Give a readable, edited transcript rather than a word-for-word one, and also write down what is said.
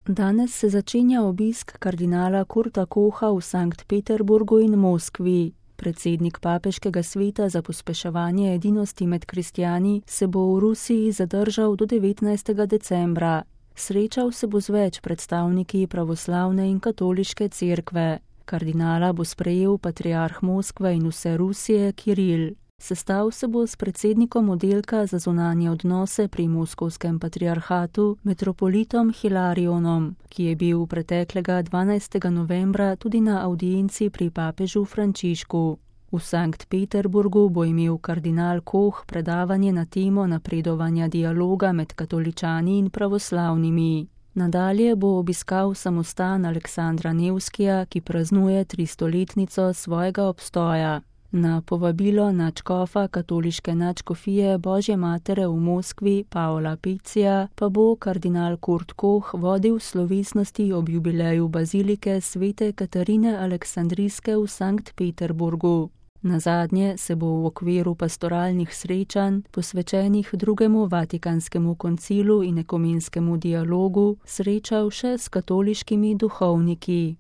Danes se začenja obisk kardinala Kurta Kocha v Sankt Peterburgu in Moskvi. Predsednik papeškega sveta za pospeševanje edinosti med kristjani se bo v Rusiji zadržal do 19. decembra. Srečal se bo z več predstavniki pravoslavne in katoliške cerkve. Kardinala bo sprejel patriarh Moskve in vse Rusije Kiril. Sestal se bo s predsednikom oddelka za zunanje odnose pri moskovskem patriarhatu, metropolitom Hilarionom, ki je bil preteklega 12. novembra tudi na avdienci pri papežu Frančišku. V Sankt Peterburgu bo imel kardinal Koch predavanje na temo napredovanja dialoga med katoličani in pravoslavnimi. Nadalje bo obiskal samostan Aleksandra Nevskija, ki praznuje 300-letnico svojega obstoja. Na povabilo nadškofa katoliške nadškofije Božje matere v Moskvi Paola Picija pa bo kardinal Kurt Koch vodil slovesnosti ob jubileju bazilike svete Katarine Aleksandrijske v Sankt Peterburgu. Nazadnje se bo v okviru pastoralnih srečanj, posvečenih drugemu Vatikanskemu koncilu in ekumenskemu dialogu, srečal še s katoliškimi duhovniki.